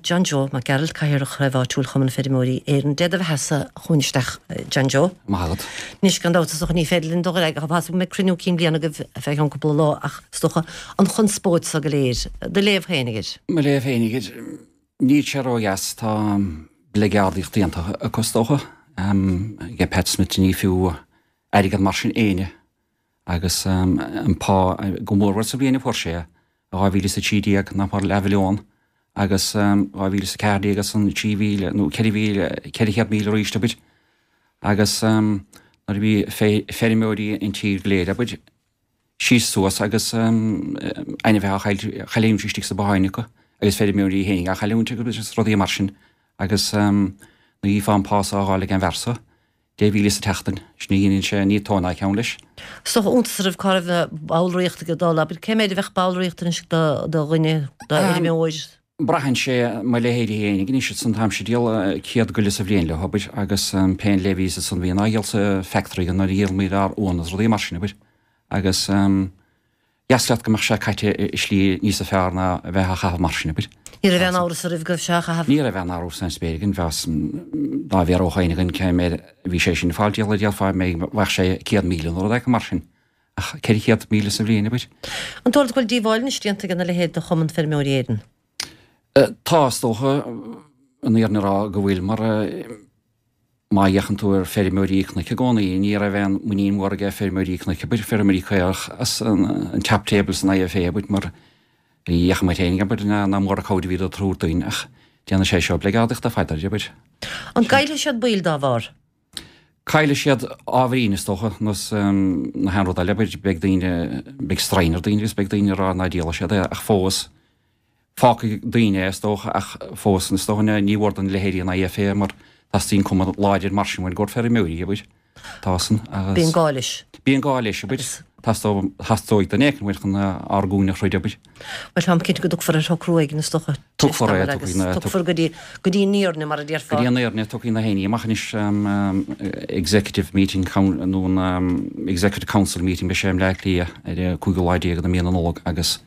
John Joe Mac Gearailt, Cathaoirleach Chraobh Áitiúil Chumann Feirmeoirí Éireann. Dé do bheathasa chugainn isteach, John Joe. Maith agat. Anois, gan dabht, is dócha ní féidir linn dul ar aghaidh, tá a fhios agam go mbeidh cruinniú cinn bliana agaibh fé cheann cúpla lá ach is dócha an chonspóid so go léir. Do léamh féinig air. Mo léamh féinig air, níl sé ródheas, tá bligeardaíocht déanta acu is dócha, ag Pat Smith ní fiú airgead mar sin éinne agus an pá go mórmhór sa bhliain a fuair sé é, 2013 nach mór leathmhilliún agus 2014 ansan 3,000 nó 4,000, 400,000 arís abair agus nuair a bhí feirmeoirí an tír go léir abair síos suas agus ainmhithe á chailliúint istigh sna botháin acu agus feirmeoirí féinig á chailliúint agus rudaí mar sin agus nuair a chífeá an pá so á fháil ag an bhfear so 10,000 sa tseachtain, sin a dheineann sé, ní tóin ná ceann leis. Is dócha iontas oraibh cá raibh na ballraíocht ag dul, abair, cé méid a bheadh ballraíocht anois do dhuine, d'fheirmeoir? Braitheann sé, mo leithéidí fhéinig anois, ansan táimse ag díol 100 goile sa bhliain leo, abair, agus pé an levy ansan bhíonn á dhíol sa factory againn nuair a dhíolaimid ár uan agus rudaí mar sin, abair, agus. Dheas leat go mbeadh sé caite i slí níosa fearr ná a bheith á chaitheamh mar sin, abair. Ní raibh aon amhras oraibh go raibh sé á chaitheamh. Ní raibh aon amhras sa spéir againn, bheas, dá bhfiafródh éinne againn cé méid a bhí sé sin ag fáil díol, déarfá bheadh sé 100,000 nó rud éigin mar sin. Ach 400,000 sa bhliain, abair. An dóigh leat go bhfuil díobháil anois déanta ag a leithéid do Chumann Feirmeoirí Éireann? Tá, is dócha, an fhírinne a rá go bhfuil, mar. Má fhéachann tú ar feirmeoirí cnoic i gcónaí, ní raibh aon muinín mhór aige feirmeoirí cnoic, abair, feirmeoirí caorach as an top table san IFA, abair, mar ní fhéachann muid féin, abair, nach mór an cabhair a bhíodar ag tabhairt dúinn ach déanann sé seo bligeardaíocht ar fad, abair. An gcaillfidh siad baill dá bharr? Caillfidh siad ábhairín, is dócha, nós na haon rud eile, abair, beidh daoine, beidh straidhn ar daoine agus beidh daoine ag rá ná díolfaidh siad é ach fós, Fágfaidh daoine é, is dócha, ach fós, is dócha, ní mhór do leithéidí an IFA mar teastaíonn cumann láidir mar sin uainn i gcomhair feirmeoirí, abair. Tá san, agus. Bíonn gá leis. Bíonn gá leis, abair. Teastóidh, theastóidh duine éicint uainn chun ár gcúinne a throid, abair. Bhuel, táim cinnte go dtiocfar ar shocrú éigin, is dócha. Tiocfar é, tiocfaidh na. Tiocfar go dtí, go dtí an fhírinne, mar a déarfá. Go dtí an fhírinne, tiocfaidh na héinní amach anois, Executive Meeting nó an Executive Council Meeting, beidh sé i mBleá Cliath ar an cúigiú lá déag de mhí na Nollag agus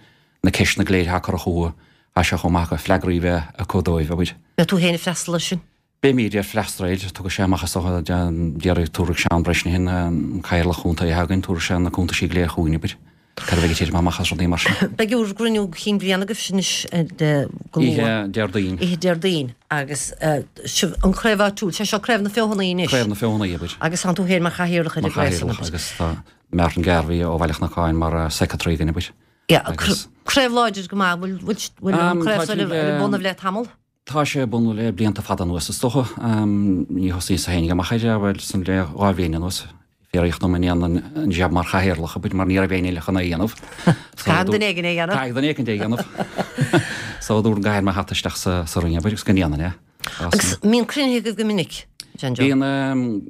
na ceisteanna go léir atá curtha chucu, tá sé chomh maith acu freagraí a bheith acu dóibh, abair. Beidh tú féin ag freastal air sin? Beimid ag freastal air, tiocfaidh sé amach is dócha, déarfaidh, tabharfaidh Seán Bresnahan, an cathaoirleach chontae atá againn, tabharfaidh sé na cuntaisí go léir chugainn, abair, cad a bheidh ag titim amach as rudaí mar sin. Beidh bhur gcruinniú cinn bliana agaibh anois go luath. Oíche Déardaoin. Oíche Déardaoin agus sibh an chraobh áitiúil, sé seo Craobh na Feothanaí anois. Craobh na Feothanaí, abair. Agus tánn tú féin mar chathaoirleach ar an gcraobh san, abair. Mar chathaoirleach agus tá Martin Garvey ó Bhaile Chnocáin mar secretary againn, abair. Yeah, craobh láidir go maith, bhfuil an craobh seo ar bun le tamall? Tá sé ar bun le blianta fada anuas is dócha. Ní thosaíos féinig amach air, bhuel, san le 2 bhliain anuas. Fiafraíodh dom an ndéanfainn an jab mar chathaoirleach, abair, mar ní raibh éinne eile chun é a dhéanamh. Caithfidh duine éigin é a dhéanamh. Caithfidh duine éicint é a dhéanamh. So dúradh go gcaithfinn mo hata isteach sa ring, abair, agus go ndéanfainn é. Agus mbíonn cruinnithe agaibh go minic, John Joe? Bíonn.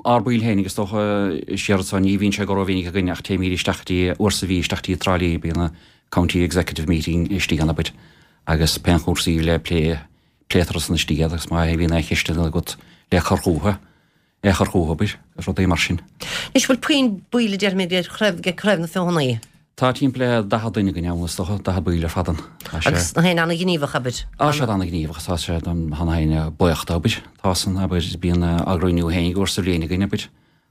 Ár baill fhéinig is dócha, siar anso, ní bhíonn sé go rómhinic againn ach téimíd isteach go dtí, uair sa mhí isteach dtí Trá Lí, bíonn an County Executive Meeting istigh ann abair agus pé cúrsaí le plé, pléitear ansan istigh iad agus má bhíonn aon cheisteanna agat le cur chúthu, é a chur chúthu abair, agus rudaí mar sin. Anois bhfuil puinn baill a déarfaimid ag craobh, ag Craobh na Feothanaí? Tá timpeall le 40 duine againn ann is dócha, 40 baill ar fad ann. Tá sé. Agus na héinne ana-ghníomhach, abair? Tá siad ana-ghníomhach, tá siad, tá na héinne buíoch de, abair. Tá san, abair, bíonn ár gcruinniú féinig uair sa bhliain againn, abair,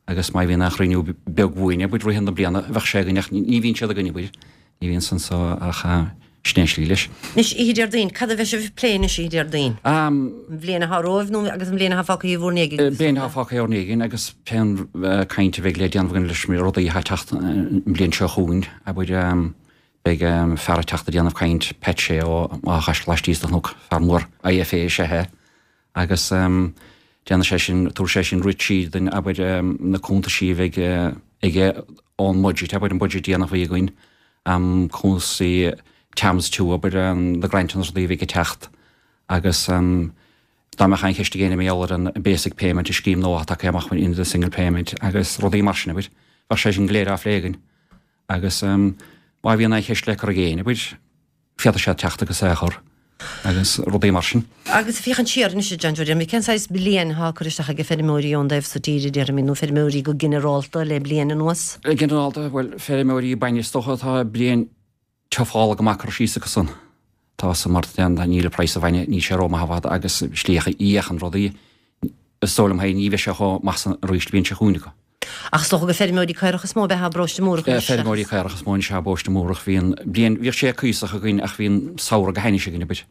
agus má bhíonn aon chruinniú beag uainn, abair, rith na bliana, bheadh sé againn ach ní bhíonn siad againn, abair. Ní bhíonn san so ach sin é an slí leis. Anois, oíche Déardaoin, cad a bheidh sibh ag plé anois oíche Déardaoin? An bhliain atá romhaibh nó agus an bhliain atá fágtha bhur ndiaidh? Bliain atá fágtha ár ndiaidh agus pén caint a bheidh le déanamh againn leis na rudaí atá ag teacht an bhliain seo chugainn, abair, beidh fear ag teacht ag déanamh caint, Pat Shea ó Áth Chaisil laistíos de chnoc, fear mór IFA is ea é agus déanfaidh sé sin, tabharfaidh sé sin rith tríd duinn, abair, na cuntaisí a bheidh aige ón mbudget, abair, an budget déanach a bhí againn, cúrsaí TAMS 2, abair, na grantanna is rudaí a bheidh ag teacht agus dá mbeadh aon cheist ag éinne mar gheall ar an basic payment, an scéim nua atá tagtha amach in the single payment agus rudaí mar sin, abair, bheadh sé sin go léir á phlé againn agus má bhíonn aon cheist le cur ag éinne, abair, féadfaidh siad teacht agus é a chur agus rudaí mar sin. Agus féachaint siar anois, a John Joe, déarfaimid, cén saghas bliain atá curtha isteach ag feirmeoirí ón dtaobh so tíre, déarfaimid, nó feirmeoirí go ginearálta le bliain anuas? Go ginearálta, bhuel, feirmeoirí bainne is dócha atá bliain tiofálach go maith curtha síos acu san. Tá san mar níl an praghas an bhainne, níl sé rómhaith i bhfad agus slí a fhéachann rudaí, is dóigh liom féin, ní bheidh sé chomh maith san arís an bhliain seo chugainn acu. Ach is dócha gur feirmeoirí caorach is mó a bheadh i bparóiste Múrach anois. Feirmeoirí caorach is mó anois i bparóiste Múrach. Bhí an bliain, bhíodh sé cuíosach againn ach bhí an samhradh go hainnis againn, abair.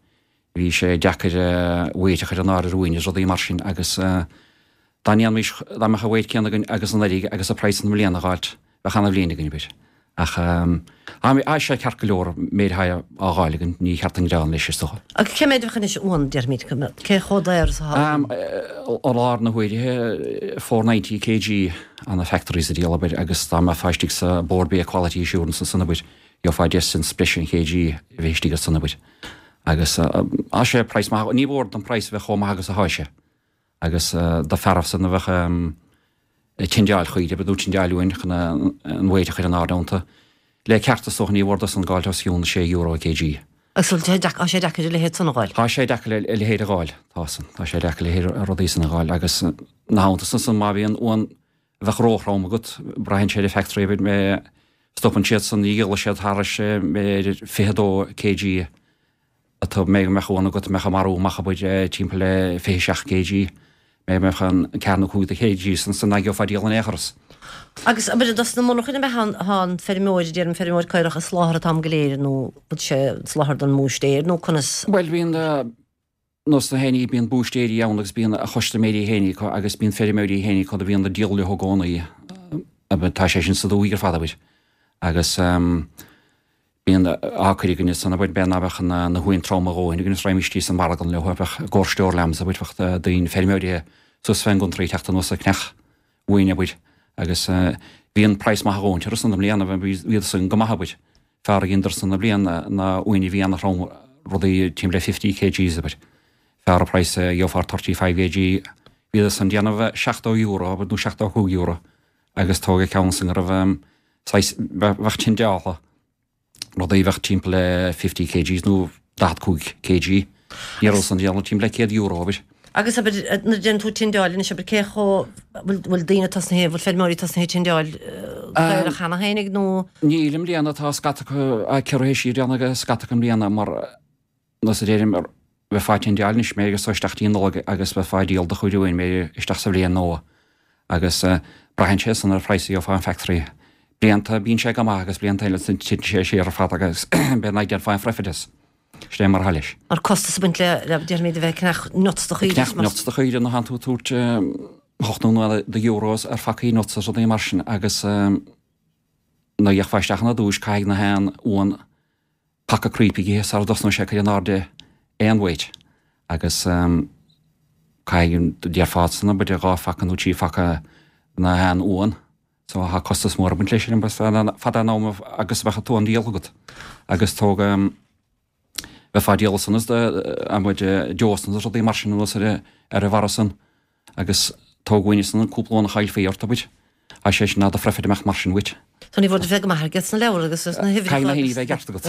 Bhí sé deacair weight a chur in airde ar uain is rudaí mar sin agus dá ndéanfaimis, dá mbeadh an weight céanna againn agus anuraidh agus an praghas i mbliana a dh'fháilt, bheadh ana-bhliain againn, abair. Ach tá sé ceart go leor, méid atá á dh'fháil againn, ní cheart an gearán leis, is dócha. Agus cé méid a bheadh anois uan, déarfaimid, cé chomh daor is atá uan? I lár na huaire, 490 kg ó na factories a díol, abair, agus dá mbeifeá istigh sa Bord Bia Quality Assurance ansan, abair, gheofá 10 cents breise an kg a bheith istigh ansan, abair. Agus tá sé praghas maith, ní mhór don praghas a bheith chomh maith agus atá sé. Agus do fearaibh san a bheadh ag tindeáil chaoire, nó tindeáil uain chun an weight a chur in airde iontu. Le ceart is dócha ní mhór dosan gabháilt os cionn €6 kg. Agus bhfuil sé deacair, tá sé deacair a leithéid san a dh'fháil? Tá sé deacair a leithéid a dh'fháil, tá san. Tá sé deacair a leithéid rudaí san a dh'fháil agus na theannta san san má bhíonn uan a bheadh róthrom agat, braitheann sé ar an factory a bit mé stopann siad san, ní dhíolfaidh siad thairis b'fhéidir 22 kg atá mé go mbeadh uan agat a mbeadh ag marú amach abair timpeall le 27 kg, mé go mbeadh an ceathair nó cúig de kg san san nach gheofá díol in aon chor as. Agus abair dos na monarchain ab ea thá an feirmeoir, deirim feirmeoir caorach ag soláthar an t-am go léir nó bhfuil sé ag soláthar don mbúistéir nó conas? Bhuel bíonn Nós na héiní, bíonn búistéirí ann agus bíonn a chustaiméirí féin acu agus bíonn feirmeoirí féin acu a bhíonn ag díol leo i gcónaí. Tá sé sin sa dúthaigh ar fad, abair. Agus bíonn á cur againne san, abair, b'fhéidir ná beadh na huain trom a dhóthain againn is raghaimís síos an margadh leo, bheadh go store lambs, abair, bheadh daoine, feirmeoirí suas fén gcountry ag teacht anuas ag ceannach uainn, abair. Agus bhí an praghas maith a dhóthain orthu san i mbliana, bhíodar san go maith, abair. Fearr a dheineadar san i mbliana ná uain a bhí ana-throm, rudaí timpeall le 50 kgs, abair. Fearr an praghas a gheofá ar 35 kg, bhíodar san déanamh €70, abair, nó €75 agus tóg ceann san go raibh saghas, bheadh tindeáltha, rudaí a bheadh timpeall le 50 kgs nó 45 kg. Ní raibh san déanamh timpeall le €100, abair. Agus abair, nuair a déanann tú tindeáil anois, abair, cé chomh, bhfuil, bhfuil daoine tosnaithe, bhfuil feirmeoirí tosnaithe ag tindeáil caorach cheana fhéinig nó? Níl i mbliana, tá scata acu ciorruithe siar déanta ag scata acu i mbliana mar, nós a deirim, bheifeá ag tindeáil anois b'fhéidir so isteach dtí an Nollaig agus bheifeá ag díol do chuid uain b'fhéidir isteach sa bhliain nua agus braitheann sé san ar phraghas a gheofá ón factory. Blianta bíonn sé go maith agus blianta eile titeann sé siar ar fad agus b'fhéidir nach ndéanfá aon phroifit as. Sin é mar atá leis. Mar costas ag baint le, le, déarfaimid, a bheith ag ceannach nuts do chaoire. Ceannach nuts do chaoire nuair atánn tú ag tabhairt hocht nó naoi de euros ar phacaí nuts is rudaí mar sin agus nuair a fhéachfá isteach ina dtúis caithfidh na haon uan paca cnaip a ithe sara dtosnóidh sé ag cur in airde aon weight agus caithfidh, déarfá san, b'fhéidir dhá phaca nó trí phaca na haon uan. So tá costas mór ag baint leis sin fad an am agus a bheadh an t-uan díolta agat. Agus tóg bheifeá ag díol san is amuigh deosanna is rudaí mar sin anuas ar ar an bharra san agus tóg uain san cúpla uan a chaillfí ort abair. Tá sé sin ná do phroifit amach mar sin uait. So ní bhfuil bheith go maith agat sna leabhair agus sna huimhreacha. Caithfidh na héiní bheith i gceart agat.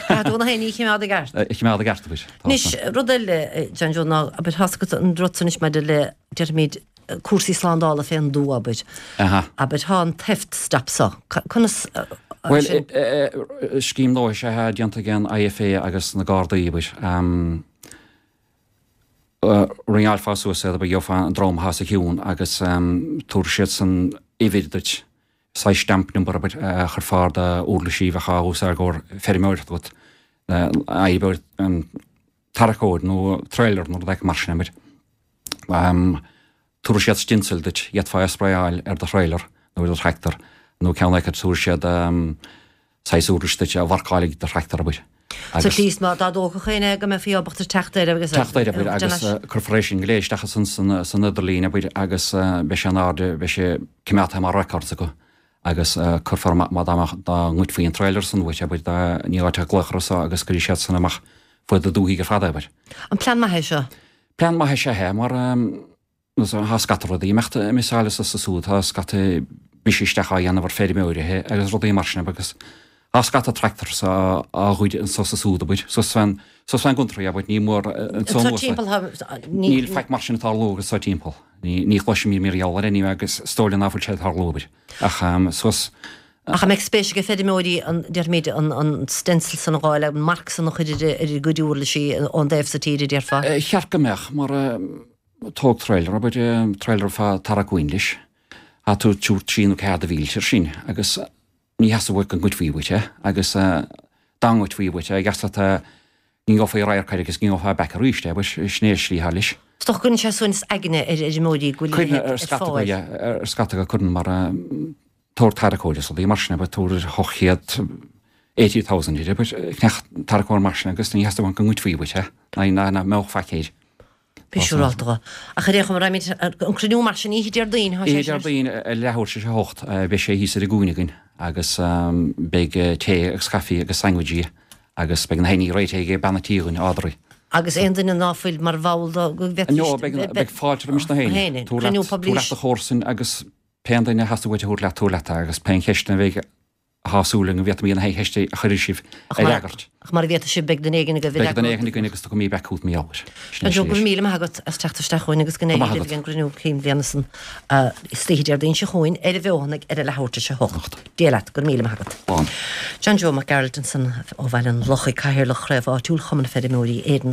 Caithfidh tú na héiní a choimeád i gceart. A choimeád i gceart abair. Anois rud eile John Joe ná abair tá's agat an rud san anois maidir le déarfaimid cúrsaí slándála fén dtuath, abair. Abair, tá an theft stop so. Conas Bhuel, scéim nua is ea é déanta ag an IFA agus na Gardaí, abair. Ringeáilfeá suas iad, abair, gheofá an dream atá os a chionn agus tabharfaidh siad san uimhir duit, saghas stamp number, abair, a chuirfeá ar d'uirlisí a bheadh á úsáid i gcomhair feirmeoireacht agat, abair, tarracóir nó trailer nó rud éigin mar sin, abair. Tabharfaidh siad stencil duit, d'fhéadfá é a sprayáil ar do thrailer nó ar do thractor nó ceann acu tabharfaidh siad saghas uirlis duit a mharcálfaidh do thractor, abair. Sa tslí is má dá dtógfadh éinne é go mbeifí ábalta teacht air agus. Teacht air, abair, agus cuirfear é sin go léir isteach ansan san idirlíon, abair, agus beidh sé in airde, beidh sé coimeádta mar records acu agus cuirfear amach má dá mbeadh, dá ngoidfí an trailer san uait, abair, dá ní áit a glaoch orthu so agus cuirfidh siad san amach fuaid na dúthaigh ar fad é, abair. An plean maith é seo? Plean maith is ea é mar tá scata rudaí ag imeacht ag missáil anso is ansúd, tá scata briseadh isteach á dhéanamh ar feirmeoirithe agus rudaí mar sin agus tá scata tractors á ghoid anso is ansúd, abair, suas fén, suas fén gcountry, abair, ní mór anso anuas. Timpeall, níl faic mar sin ag tarlú anso timpeall. Ní, ní chloisim mar gheall air anyway agus is dóigh liom ná fuil sé ag tarlú, abair. Ach suas. Ach an mbeidh spéis ag feirmeoirí an, déarfaimid, an stencil san a dh'fháil, an marc san a chur ar a gcuid uirlisí ón dtaobh so tíre, déarfá? Cheart go mbeadh, mar tóg trailer, abair, trailer fá tarrac uain leis, tá tú ag tabhairt trí nó ceathair de mhílte air sin agus ní theastódh uait go ngoidfí uait é agus dá ngoidfí uait é, gheas leat é, ní gheofá radharc air agus ní gheofá back arís é, abair, sin é an slí atá leis. Is dócha go gcuireann sé suaimhneas aigne ar fheirmeoirí go bhfuil a leithéid ar fáil. Ar scata go cuireann mar tabhair tarracóir is rudaí mar sin, abair, tabhair 800, 80,000 air, abair, ceannach tarracóir mar sin agus ní theastódh go ngoidfí uait é, ná nach mbeadh faic air. Bí siúrálta dho. Ach ar aon chuma, raghaimid an cruinniú mar sin oíche Déardaoin, tá sé sin. Oíche Déardaoin ar leathuair tar éis a hocht, beidh sé thíos ar an gcúinne againn agus beidh tae agus caife agus sandwichí agus beidh na héinní réitithe ag bean an tí againn, Audrey. Agus aon duine ná fuil mar bhall do go bhféadfaidís. No, beidh fáilte roimis na héinne. Tabhair leat do chomharsain agus Pé duine a theastaigh uait a thabhairt leat, tabhair leat é, agus pé ceist a bheidh, tá súil againn go bhféadfaimid na haon cheist a chuirfidh sibh a fhreagairt. Ach mar a bhféadfaidh sibh, beidh duine éigin agaibh a fhreagróidh. Beidh duine éigin againn agus tiocfaimid back chugat mar gheall air. Sin é Joe, go raibh míle maith agat as teacht isteach chugainn agus go n-éirí libh ag an gcruinniú cinn bhliana san istoíche Déardaoin seo chugainn ar an bhFeothanaigh ar a leathuair tar éis a hocht. Dia leat, go raibh míle maith agat. Slán. John Joe Mac Gearailt ansan ó Bhaile an Lochaigh, Cathaoirleach Chraobh Áitiúil Chumann Feirmeoirí Éireann.